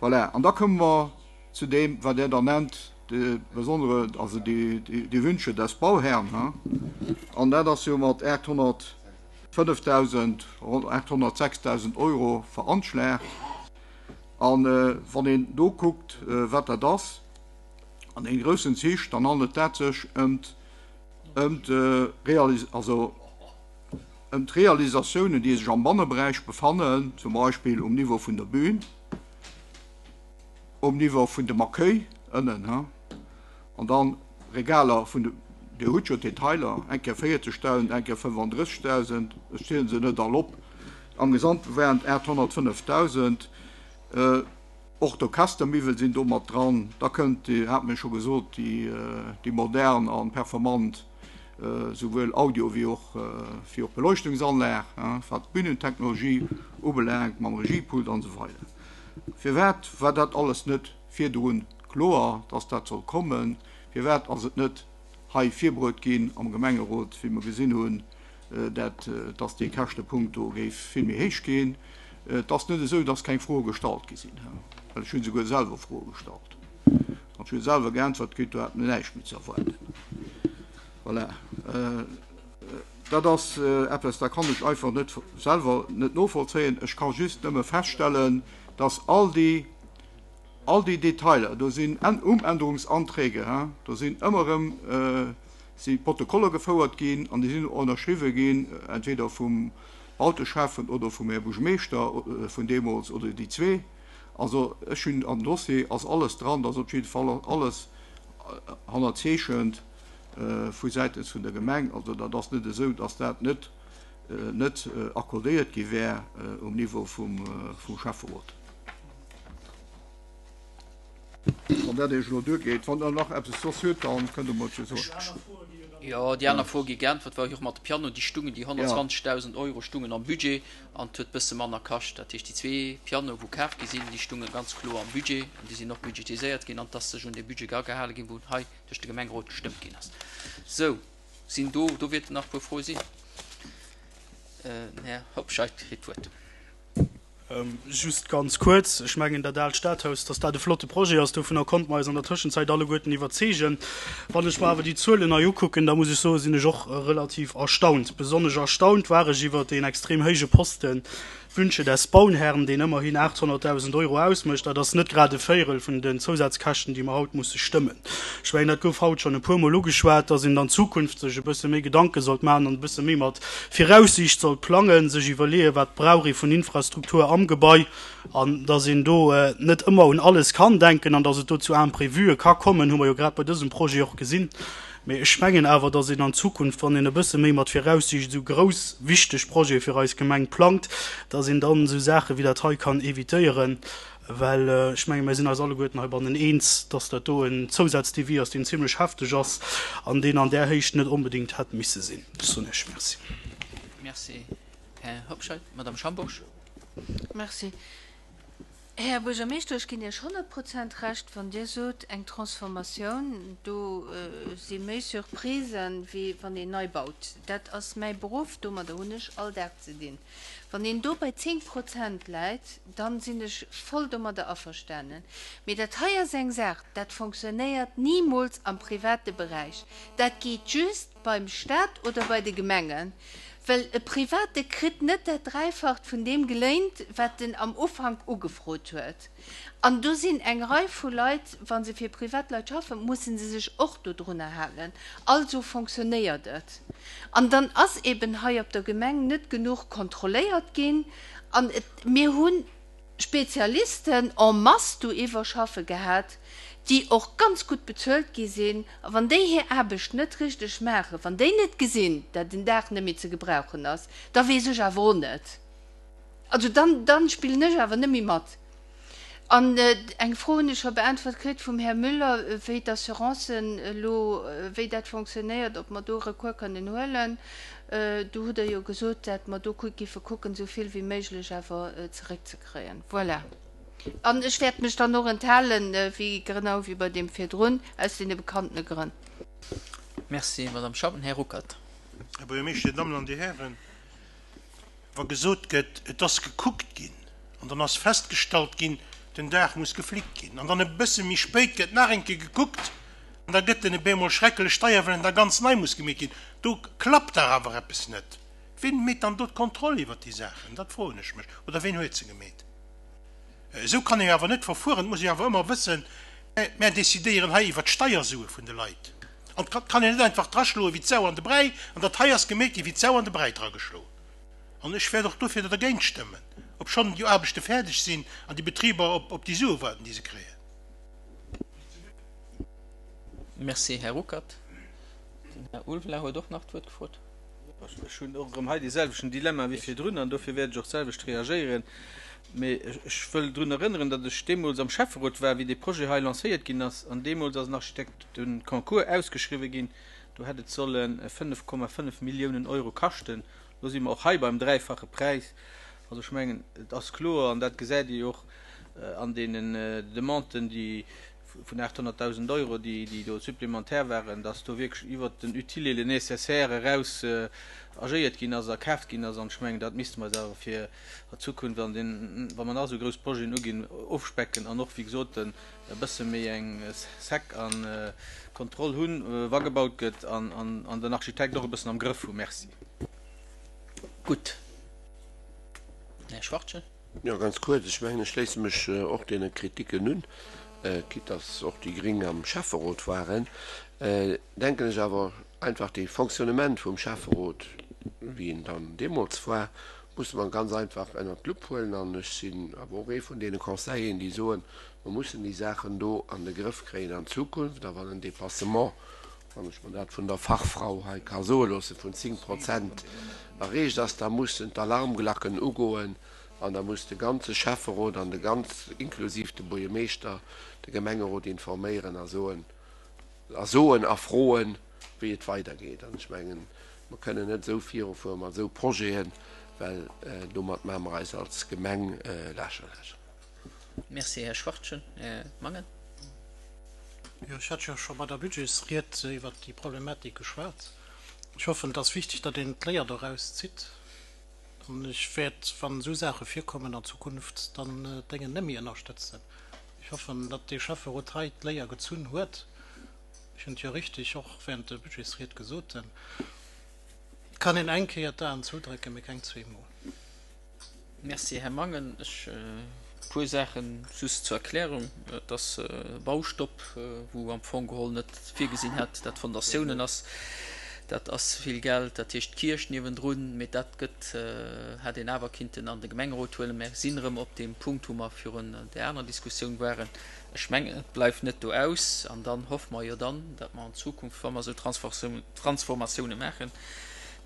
Speaker 2: Voilà, an da komme mer zu deem, wat Der da nennt, de besondere, also déi Wünsche des Bauherrn, an dat ass jo mat 800. 5.000, ronn 806.000 Euro veranschlagt. A wann een do kuckt, wat dat ass an deene groussen Zich, dann handelt dat sech ëm d'Realisatiounen, déi sech am Banneberäich befannen, zum Beispill um Niveau vun der Bühn, um Niveau vun dem Accueil ënnen. An dann Regaler vun de, Dir hutt jo d'Detailer, eng Kéier 40.000, eng Kéier 35.000, ech ziele se net all op, am Gesamte waren et 805.000. Och d'Orchestermiwwel sinn do mat dran. Da kënnt, Dir hat mir scho gesot, déi modern a performant souwuel Audio wéi och wéi och Beleuchtungsanlag, wat d'Bühnentechnologie ubelaangt, mam Regiepult an esou weider. Firwat war dat alles net virdrun Kloer, dass dat soll kommen. Firwat ass et net hei virbruet ginn am Gemengerot, wéi mer gesinn hunn, dat, dass dee Käschtepunkt do géif vill méi héich ginn? Et ass net esou, dass keng Froe gestallt gi sinn, well ech hunn souguer selwer Froe gestallt an ech hu selwer geäntwert kritt, do hat mer näischt méi ze erwaarden. Voilà. Dat ass eppes, dat kann ech einfach net selwer net novollzéien. Ech ka just nëmme feststellen, dass all déi, All déi Detailer, do sinn Umänderungsanträge, do sinn ëmmer erëm si Protokoller gefouert ginn an déi sinn ënnerschriwwe ginn, entweder vum Bauteschäffen oder vum Här Buergermeeschter vun deemools oder déi zwee. Also ech hunn am Dossier ass alles dran, da ass op jidde Fall alles hannerzeechent vu säitens vun der Gemeng. Also dat ass net esou, datt dat net net accordéiert gi wär um Niveau vum Schäfferot. Wann dat Iech elo duergeet. Wann Der nach eppes soss hutt, da kënnt Der mer et jo soen.
Speaker 1: Jo, déi aner Fro gi geäntwert, war jo och mat de Pianoen. Déi stungen, déi 120.000 Euro stungen am Budget an et huet e bësse manner kascht. Dat heescht, déi zwee Pianoe wou kaf gi sinn, déi stunge ganz kloer am Budget an déi sinn och budgetiséiert ginn an et ass sech un dee Budget agehale ginn, wou hei duerch de Gemengerot gestëmmt ginn ass. Sou, sinn do, do wäerten nach e puer Froe sinn. Den Här Hobscheit kritt d'Wuert.
Speaker 5: Just ganz kuerz, Ech mengen, dat aalt Stadhaus, dass dat e flotte Projet ass, dovunner konnte mer eis an der Tëschenzäit alleguerten iwwerzeegen. Wann ech mer awer déi Zuelen hei ukucken, da muss ech soen, sinn ech och relativ erstaunt. Besonnesch erstaunt war ech iwwert deen extrem héije Posten Wünsche des Bauherrn, deen ëmmerhin 800.000 Euro ausmécht. Dat ass net grad e Véierel vun den Zousazkäschten, déi mer haut musse stëmmen. Ech mengen, dat gouf haut schonn e puermol ugeschwat, dass een an Zukunft sech e bësse méi Gedanke sollt maachen an e bësse méi mat Viraussiicht sollt plangen, sech iwwerleeën, wat brauch ee vun Infrastruktur am Gebai an dass een do net ëmmer un alles kann denken an dass et do zu Imprévuë ka kommen, hu mer jo grad bei dësem Projet och gesinn. Mee ech mengen awer, dass een an Zukunft, wann een e bësse méi mat Viraussiicht esou grouss, wichteg Projete fir eis Gemeng plangt, dass een dann esou Saache wéi dat hei kann évitéieren, well ech menge mir sinn eis alleguerten heibannen eens, dass dat do en Zousazdevis ass, deen zimlech hefteg ass an deen an där Héicht net onbedéngt hätt misse sinn. Ech soen Iech Merci.
Speaker 1: Merci, Här Hobscheit. Madame Schambourg.
Speaker 6: Merci. Här Buergermeeschter, ech ginn Iech 100 Prozent Recht, wann Dir sot, eng Transformatioun, do si méi Surprisen, wéi wann een nei baut. Dat ass mäi Beruff, domadder hunn ech all Dag ze dinn. Wann een do bei 10 Prozent läit, dann sinn ech voll domadder averstanen. Mee dat hei ass eng Saach, dat fonctionnéiert nimools am private Beräich. Dat geet just beim Stat oder bei de Gemengen. Well e Private kritt net dat Dräifacht vun deem geléint, wat en am Ufank ugefrot huet. An do sinn eng Rei vu Leit, wa se fir Privatleit schaffen, musse se sech och dodrunner halen. Also fonctionnéiert et. An dann ass eben hei op der Gemeng net genuch kontrolléiert ginn. An et, mir hu Spezialisten en masse do iwwerschaffe gehat, déi och ganz gutt bezuelt gi sinn. A wann déi hir Aarbecht net richteg maachen, wann déi net gesinn, dat en Daach net méi ze gebrauchen ass, da weess ech awer och net. Also dann, dann spillen ech awer net méi mat. An eng Fro hunn ech scho beäntwert kritt vum Här Müller, wéi d'Assurancen elo, wéi dat fonctionnéiert, ob mer do Recours kënnen huelen. Do hutt Der jo gesot, dat mer do giffe kucken, esou vill wéi méiglech awer zeréckzekréien. Voilà. An ech wäert mech dann och enthalen, wéi genau wéi bei deem virdrun, aus deene bekannene Grënn.
Speaker 1: Merci, Madame Schappen. Här Ruckert.
Speaker 7: Här Buergermeeschter, Dir Dammen an Dir Hären, wa gesot gëtt, et ass gekuckt ginn an dann ass festgestallt ginn, den Daach muss geflickt ginn an dann e bësse méi spéit gëtt nach eng Kéier gekuckt an da gëtt en e bemol schrecklech deier, well en da ganz nei muss gemeet ginn, do klappt dach awer eppes net. Wien meet dann do d'Kontroll iwwert déi Saachen? Dat froen ech mech. Oder wien huet se gemeet? Esou kann ee awer net verfueren. Et muss ee awer ëmmer wëssen, Mär decidéieren hei iwwert d'Steiersue vun de Leit. An et kann een net einfach draschloe wéi d'Sau an de Bräi. An dat hei ass gemeet gi wéi d'Sau an de Bräi drageschloen. An ech wäert och dofir dergéint stëmmen, obschonn déi Aarbechte fäerdeg sinn an déi Betriber op déi Sue waarden, déi se kréien.
Speaker 1: Merci, Här Ruckert. Den Här Ulveler huet och nach d'Wuert gefrot.
Speaker 10: Ech hunn och erëm hei dee selwechten Dilemma wéi virdrun an dofir wäert ech och d'selwecht reagéieren. Mee ech wëll drun erënneren, datt ech deemools am Schäfferot war, wéi dee Projet hei lancéiert ginn ass. An deemools ass en Architekteconcours ausgeschriwwen ginn. Do hätt et solle 5,5 Milliounen Euro kaschten. Elo si mer och hei beim dräifache Präis. Also ech mengen, et ass kloer, an dat gesäit Dir jo och an deenen Demanden, déi vun 800.000 Euro, déi do supplémentaire waren, dass do wierklech iwwert den Utile et le Nécessaire eraus agéiert ginn ass a kaaft ginn ass. An ech mengen, dat misste mer eis awer fir a Zukunft an den, wa mer nach esou grouss Projeten uginn, ofspecken an och, wéi gesot, e bësse méi eng sec a Kontroll hunn, wa gebaut gëtt, an den Architekt och e bëssen am Grëff hu. Merci.
Speaker 1: Gutt. Här Schwachtgen.
Speaker 8: Jo, ganz kuerz, Ech mengen, ech schléisse mech och deene Kritiken un, quitte dass och déi Gring am Schäfferot waren, denken ech awer einfach, dee Fonctionnement vum Schäfferot, wéi en dann deemools war, Musse mer ganz einfach ënnert d'Lupp huelen. An ech sinn awer och ee vun deene Conseilleren, déi soen, mer mussen déi Saachen do an de Grëff kréien an Zukunft. A wann en Dépassement, wann ech mer dat vun der Fachfrau hei ka soe loossen, vun 10 Prozent erreecht ass, da mussen d'Alarmglacken ugoen an da muss de ganze Schäfferot an de ganz, inklusiv de Buergermeeschter, de Gemengerot informéieren a soen, a soen a froen, wéi et weidergeet. An ech mengen, mer kënnen net esou virufuere mat esou Projeten, well domat maache mer eis als Gemeng lächerlech.
Speaker 1: Merci, Här Schwachtgen. Här Mangen.
Speaker 11: Jo, ech hat jo scho bei der Budgetsried iwwert déi Problematik geschwat. Ech hoffen, et ass wichteg, datt een d'Léier doraus zitt. An ech wäert, wann esou Saache virkommen an Zukunft, dann d'Déngen net méi ënnerstëtzen. Ech hoffen, datt dee Schäfferot hei d'Léier gezunn huet. Ech hunn et jo richtig och während der Budgetsried gesot, Et kann een eng Kéier d'Aen zoudrécken, mee keng zweemol.
Speaker 1: Merci, Här Mangen. Ech e puer Saache just zur Erklärung. Et ass e Baustopp, wou am Fong geholl net virgesinn hätt, dat Fondatiounen ass. Dat ass vill Geld. Dat heescht d'Kierch niewendrun. Mee dat gëtt, hätt een awer kinnten an de Gemengerot huelen. Mer sinn erëm op deem Punkt, wou mer virun där anerer Diskussioun waren. Ech mengen, et bleift net do aus. An dann hoffe mer jo dann, datt mer an Zukunft, wa mer esou Transformatioune maachen,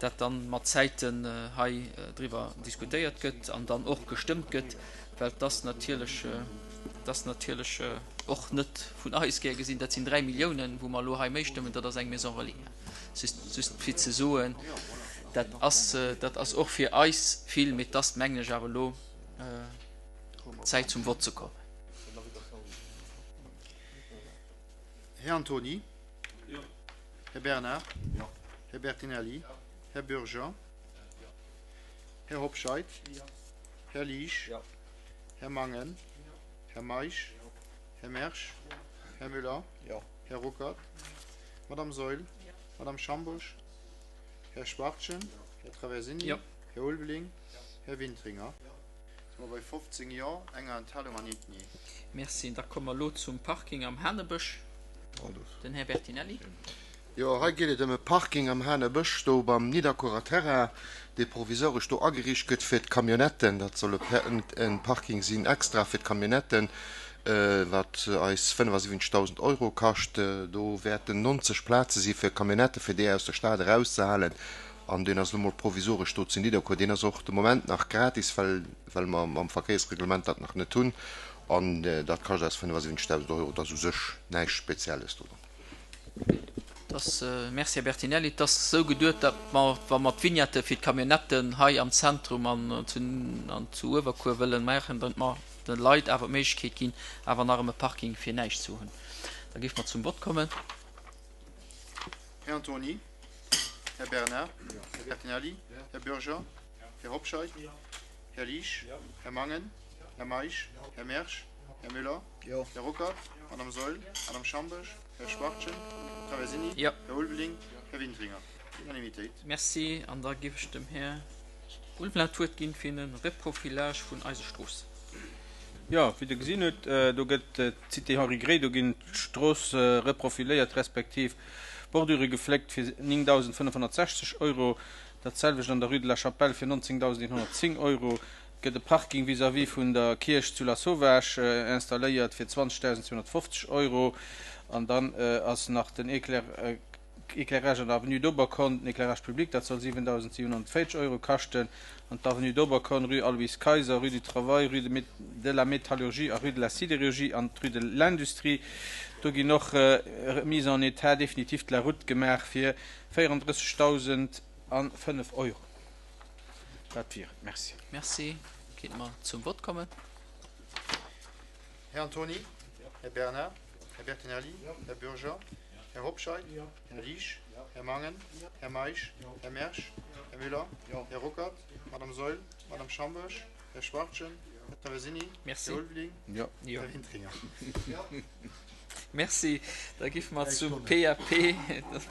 Speaker 1: dat dann mat Zäiten hei driwwer diskutéiert gëtt an dann och gestëmmt gëtt, well et ass natierlech, et ass natierlech och net vun eis gär gesinn, dat sinn 3 Milliounen, wou mer elo hei méi stëmmen, dat ass eng Maison relais. Just, just fir ze soen, dat ass, dat ass och fir eis vill, mee et ass, mengen ech, awer elo Zäit zum Vott ze kommen.
Speaker 3: Här Antony. Här Bernard. Här Bertinelli. Här Bürger. Här Hobscheit. Här Liesch. Här Mangen. Här Meisch. Här Mersch. Här Müller. Här Ruckert. Madame Saeul. Madame Schambourg. Här Schwachtgen. Här Traversini. Här Ulveling. Här Wintringer. Si mer bei 15 Jo, enger Enthalung an eent Nee.
Speaker 1: Merci. Da komme mer elo zum Parking am Hanebësch. Den Här Bertinelli.
Speaker 12: Jo, hei geet et ëm e Parking am Hanebësch, do beim Nidderkuerer Terrain, dee provisoresch do ageriicht gëtt fir d'Camionnetten. Dat soll e Parking sinn extra fir d'Camionnetten, wat eis 75.000 Euro kascht. Do wäerten 90 Plaze si fir Camionnette, fir déi aus der Stad erauszehalen. An deen ass elo mol provisoresch do zu Nidderkuer. Deen ass och de Moment nach gratis, well, well mer mam Verkéiersreglement dat nach net hunn. An dat kascht eis 75.000 Euro. Dat ass u sech näischt Spezielles do dran.
Speaker 1: Et ass, Merci, Här Bertinelli, et ass esou geduet, datt mer, wa mer d'Vignette fir d'Camionnetten hei am Zentrum an zu, an zu Uewerkuer wëlle maachen, datt mer de Leit awer d'Méiglechkeet ginn, awer nach erëm e Parking fir näischt ze hunn. Da géife mer zum Vott kommen.
Speaker 3: Här Antony. Här Bernard. Här Bertinelli. Här Bürger. Här Hobscheit. Här Liesch. Här Mangen. Här Meisch. Här Mersch. Här Müller. Här Ruckert. Madame Saeul. Madame Schambourg. Här Schwachtgen. Här Traversini. Här Ulveling. Här Wintringer. Unanimitéit.
Speaker 1: Merci. An da géif ech dem Här Ulveling d'Wuert ginn fir e Reprofilage vun eise Stroossen.
Speaker 10: Jo, wéi Der gesinn hutt, do gëtt d'Cité Henri Gray, do ginn d'Stroosse reprofiléiert respektiv Bordure gefléckt fir 9.560 Euro. Dat selwecht an der Rue de la Chapelle fir 19.110 Euro. Et gëtt e Parking vis-à-vis vun der Kierch zu Lasauvage installéiert fir 20.250 Euro. An dann ass nach den Éclairage an der Avenue d'Oberkorn, den Éclairage public, dat soll 7.740 Euro kaschten. An d'Avenue d'Oberkorn, Rue Aloyse Kayser, Rue du Travail, Rue de la Métallurgie a Rue de la Sidérurgie an d'Rue de l'Industrie, do ginn och Remise en état définitif de la route gemaach fir 34.005 Euro. Dat wier et. Merci.
Speaker 1: Merci. Kéinte mer zum Vott kommen?
Speaker 3: Här Antony. Här Bernard. Här Bertinelli. Här Bürger. Här Hobscheit. Här Liesch. Här Mangen. Här Meisch. Här Mersch. Här Müller. Här Ruckert. Madame Saeul. Madame Schambourg. Här Schwachtgen. Här Traversini.
Speaker 1: Merci.
Speaker 3: Här Ulveling. Här Wintringer.
Speaker 1: Merci. Da giffe mer zum PAP.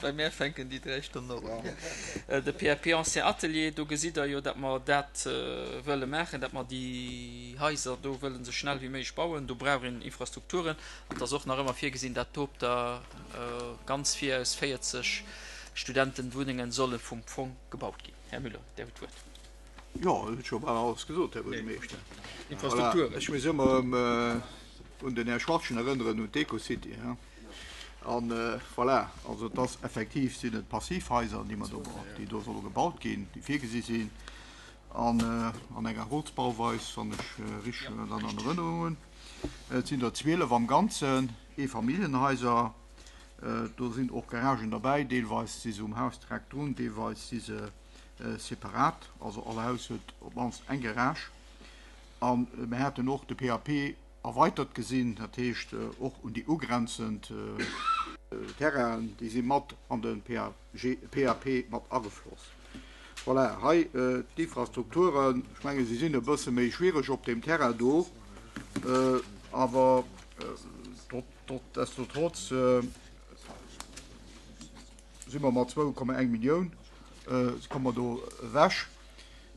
Speaker 1: Bei mär fänken déi 3 Stonnen och un. De PAP Ancien Atelier, do gesitt Der jo, datt mer dat wëlle maachen, datt mer déi Haiser do wëllen esou schnell wéi méiglech bauen. Do brauch een Infrastrukturen. An et ass och nach ëmmer virgesinn, datt do op der ganz vir aus 40 Studentenwunnengen solle vum Fong gebaut ginn. Här Müller, Dir hutt d'Wuert.
Speaker 2: Jo, et huet scho bal alles gesot, Här Buergermeeschter. Voilà, ech muss ëmmer erëm un den Här Schwachtgen erënneren, un d'Ecocity. An voilà, also et ass effektiv sinn et Passivhaiser, déi mer do, déi do solle gebaut ginn, déi virgesi sinn an an enger Holzbauweis, wann ech richteg dat an Erënnerung hunn. Et sinn der 12 am Ganzen, Eefamilljenhaiser. Do sinn och Garagen derbäi, deelweis si se um Haus direkt drun, deelweis si se separat, also all Haus huet op d'mannst eng Garage. A mir haten och de PAP erweitert gesinn, dat heescht och un déi ugrenzend Terrainen, déi si mat an de PAP mat agefloss. Voilà, hei d'Infrastrukturen, ech menge se sinn e bësse méi schwiereg op deem Terrain do, awer trotz si mer mat 2,1 Millioun komme mer do ewech.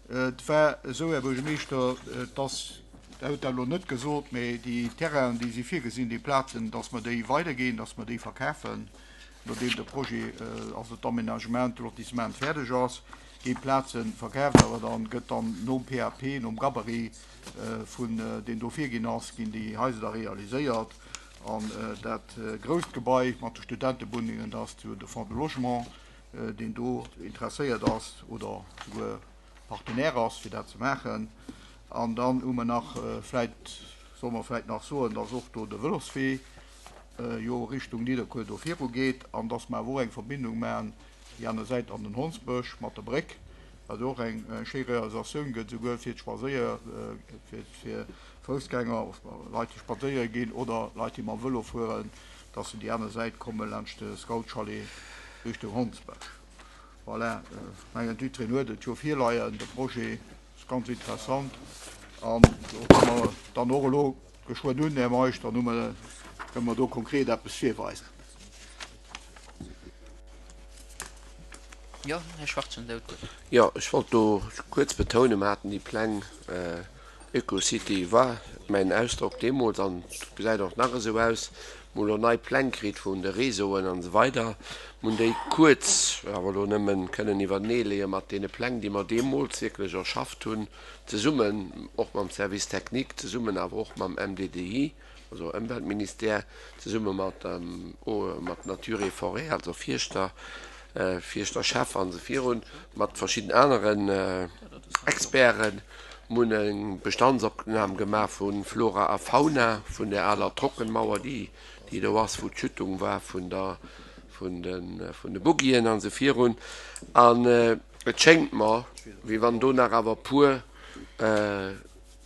Speaker 2: Et war esou, Här Buergermeeschter, dass, Der hutt dat elo net gesot, mä déi Terrainen, déi si virgesinn, déi Plazen, dass mer déi weiderginn, dass mer déi verkafen, nodeem de Projet, also d'Aménagement, de Lotissement fäerdeg ass, gi Plaze verkaaft, awer da gëtt dann nom PAP, nom Gabarit vun deen do virginn ass, ginn déi Haiser da realiséiert. An dat grousst Gebai mat de Studentewunnengen, dat ass jo de Fonds de Logement, deen do interesséiert ass oder souguer Partenaire ass, fir dat ze maachen. An dann hu mer nach, vläicht solle mer vläicht nach soen, dass och do de Vëloswee jo Richtung Nidderkuer do virugeet an dass mer awer och eng Verbindung maachen déi aner Säit an den Hondsbësch mat der Bréck, wat och eng schéi Realisatioun gëtt, souguer fir d'Spadséier, fir Foussgänger, Leit, déi spadséiere ginn oder Leit, déi mam Vëlo fueren, dass se déi aner Säit komme laanscht de Scoutschalet Richtung Hondsbësch. Voilà, ech mengen, jiddwereen huet et jo virleien, de Projet ass ganz interessant an do komme mer dann och elo geschwënn un, Här Meisch, dann hu mer, kënne mer do konkret eppes virweisen.
Speaker 1: Jo, Här Schwarzen, Der hutt d'Wuert.
Speaker 8: Jo, ech wollt do kuerz betounen, mer haten déi Pläng, Ökocity war mäin Ausdrock deemools an et gesäit och nach esou aus. Mer hu lo nei Pläng kritt vun de Réseauen an esou weider. Mer hunn déi kuerz, awer elo nëmmen, kënnen iwwertenee leeë mat deene Pläng, déi mer deemools wierklech erschafft hunn, zesummen och mam Service technique, zesummen awer och mam MDDI, also Ëmweltministère, zesumme mat mat Nature et Forêt, also Fierschter, Fierschterchef an esou virun, mat verschidden aneren Experten. Mir hunn eng Bestandsopnam gemaach vu Flora a Fauna vun där aler Trockenmauer, déi déi do ass, wou d'Schüttung war vun der vun de vun de Buggien an esou virun. An et schéngt mer, wéi wann do nach awer e puer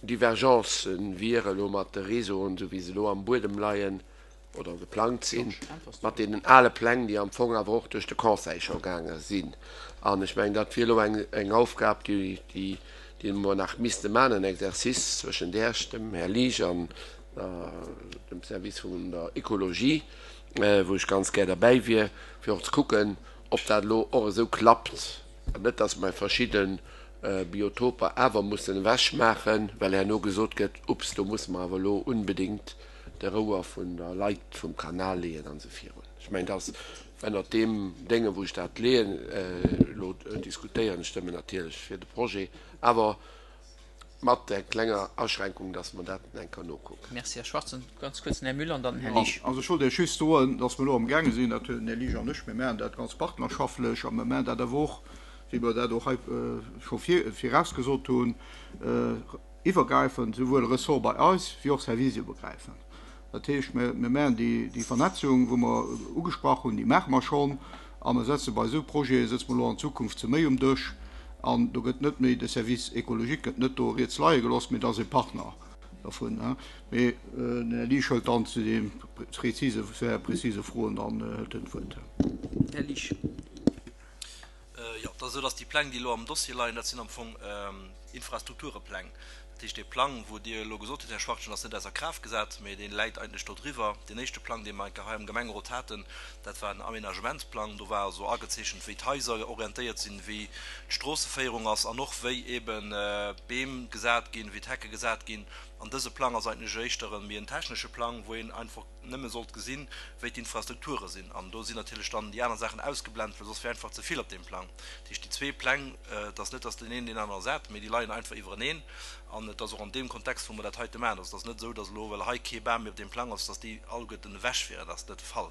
Speaker 8: Divergencen wiere elo mat de Réseauen, esou wéi se elo am Buedem leien oder geplangt sinn, mat deenen ale Pläng, déi am Fong awer och duerch de Conseil scho gaange sinn. An ech mengen, dat wier elo eng, eng Aufgab, déi, déi, déi mer nach misste maachen, en Exercice zwëschen Iech, dem Här Liesch an dem Service vun der Ekologie, wou ech ganz gär derbäi wier, fir och ze kucken, ob dat elo och esou klappt, an net, dass mer verschidde Biotoper awer mussen ewech maachen, well herno gesot gëtt, Ups, do musse mer awer elo unbedéngt de Rouer vun der Leit vum Kanal leeën an esou virun. Ech mengen, dass ënnert deem Dénge wou ech dat leeën, elo diskutéieren, ech stëmmen natierlech fir de Projet, awer mat där klenger Aschränkung, dass mer dat eng Kéier nokucken.
Speaker 1: Merci, Här Schwarzen. Ganz kuerz den Här Müller an dann den Här Liesch.
Speaker 2: Also ech wollt Iech just soen, dass mer elo amgaange sinn, dat den Här Liesch an ech, mir maachen dat ganz partnerschaftlech a mir maachen dat awer och, wéi mer dat och hei scho virausgesot hunn, iwwergräifend, souwuel Ressort bei eis wéi och serviceiwwergräifend. Dat heescht, mir maachen déi Vernetzung, wou mer ugesprach hunn, déi maache mer schonn a mer setze bei esou Projete sëtze mer elo an Zukunft zu méi um Dësch an do gëtt net méi de Service écologique gëtt net do riets leie gelooss, mee dat ass e Partner dervun. Mee den Här Liesch hëlt dann zu de präzise, präzise Froen dann hëlt en d'Wuert.
Speaker 1: Här Liesch.
Speaker 13: Jo, et ass esou, dass déi Pläng, déi elo am Dossier leien, dat sinn am Fong Infrastrukturepläng. Dat heescht, dee Plang, wou Dir elo gesot hutt, Här Schwachtgen, ass net ausser Kraaft gesat, mee dee läit eigentlech do driwwer. Deen éischte Plang, dee mer eng Kéier hei am Gemengerot haten, dat war en Aménagementsplang. Do war also agezeechent, wéi d'Haiser orientéiert sinn, wéi d'Stroosseféierung ass an och wéi eeben d'Beem gesat ginn, wéi d'Hecke gesat ginn. An dëse Plang ass eigentlech éischter e méi en technesche Plang, wou een einfach nëmme sollt gesinn, wéi d'Infrastrukture sinn. An do sinn natierlech dann déi aner Saachen ausgeblent, well soss wär einfach ze vill op deem Plang. Dat heescht, déi zwee Pläng, et ass net, datt deen een deen aneren ersat, mee déi leien einfach iwwereneen. An et ass och an deem Kontext, wou mer dat heite maachen. Also et ass net esou, datt elo, well hei kee Bam méi op deem Plang ass, datt déi alleguerten ewech wieren. Dat ass net de Fall.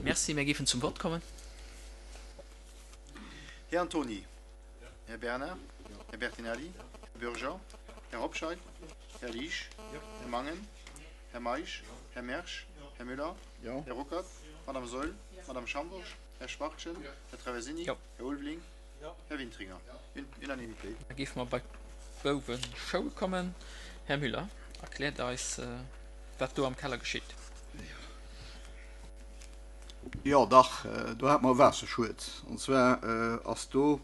Speaker 1: Merci. Mir géifen zum Vott kommen.
Speaker 3: Här Antony. Här Bernard, Här Bertinelli, Här Bürger, Här Hobscheit, Här Liesch, Här Mangen, Här Meisch, Här Mersch, Här Müller, Här Ruckert, Madame Saeul, Madame Schambourg, Här Schwachtgen, Här Traversini, Här Ulveling, Här Wintringer. Unanimitéit.
Speaker 1: Da géife mer bei d'Bouweschoul kommen. Här Müller erkläert eis, wat do am Keller geschitt.
Speaker 2: Jo dach, do hate mer e Waasserschued. An zwar ass do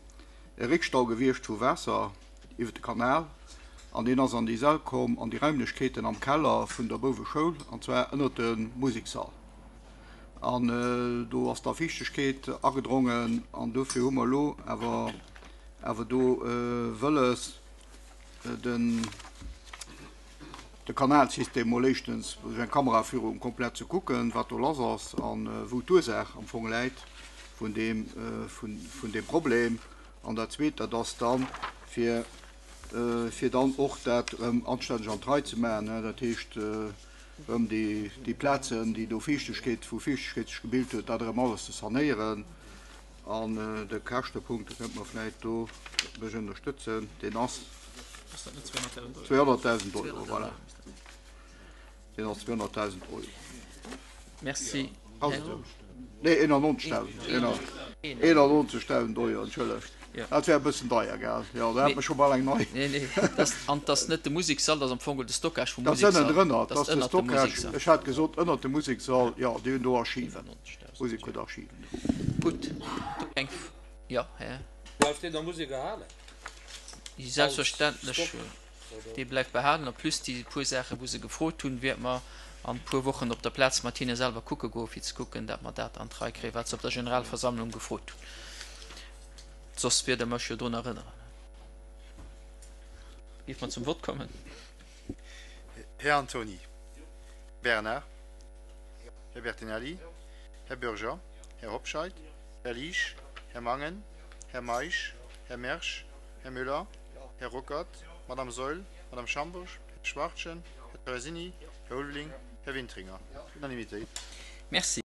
Speaker 2: e Réckstau gewiescht vu Waasser iwwer de Kanal an deen ass an déi Säll komm, an déi Raimlechkeeten am Keller vun der Bouweschoul, an zwar ënnert de Musekssall. An do ass da Fiichtegkeet agedrongen an dofir hu mer elo awer awer do wëlles den, de Kanalsystem mol éischtens duerch eng Kameraführung komplett ze kucken, wat do lass ass a wou d'Ursaach am Fong läit vun deem, vun deem Problem. An dat Zweet, dat ass dann, fir, fir dann och dat erëm anstänneg an d'Rei ze maachen, dat heescht erëm déi, déi Plazen, déi do Fiichtegkeet, wou Fiichtegkeet sech gebilt huet, dat erëm alles ze sanéieren. An de Käschtepunkt, do kënnt mer vläicht do mech ënnerstëtzen, deen ass 200.000 Euro, voilà. Deen ass 200.000 Euro.
Speaker 1: Merci.
Speaker 2: Ass et esou? Nee, 91.000, 91.000 Euro, entschëllegt. Dat wär e bëssen deier, gell? Jo, da hätt mer scho bal eng nei.
Speaker 1: Nee, nee, an 't ass net de Musekssall, dat ass am Fong de Stockage vum
Speaker 2: Dat ass
Speaker 1: Musekssall.
Speaker 2: ënnendrënner, dat ass de Stockage. Ech hat gesot ënnert dem Musekssall, jo, déi hunn do Archiven. Musek huet Archiven do.
Speaker 1: Gutt, do eng F jo, Här.
Speaker 14: Bleift deen der Musek erhalen?
Speaker 1: Selbstverständlech, dee bleift behalen. En plus déi puer Saachen, wou se gefrot hunn, wäerte mer an e puer Wochen op der Plaz mat hinne selwer kucke goen, fir ze kucken, dat mer dat an d'Rei kréien, wat se op der Generalversammlung gefrot hunn. Soss wiert Der mech jo drun erënneren. Géife mer zum Vott kommen?
Speaker 3: Här Antony Bernard. Här Bertinelli, Här Bürger, Här Hobscheit, Här Liesch, Här Mangen, Här Meisch, Här Mersch, Här Müller, Här Ruckert, Madame Saeul, Madame Schambourg, Här Schwachtgen, Här Traversini, Här Ulveling, Här Wintringer. Unanimitéit.
Speaker 1: Merci.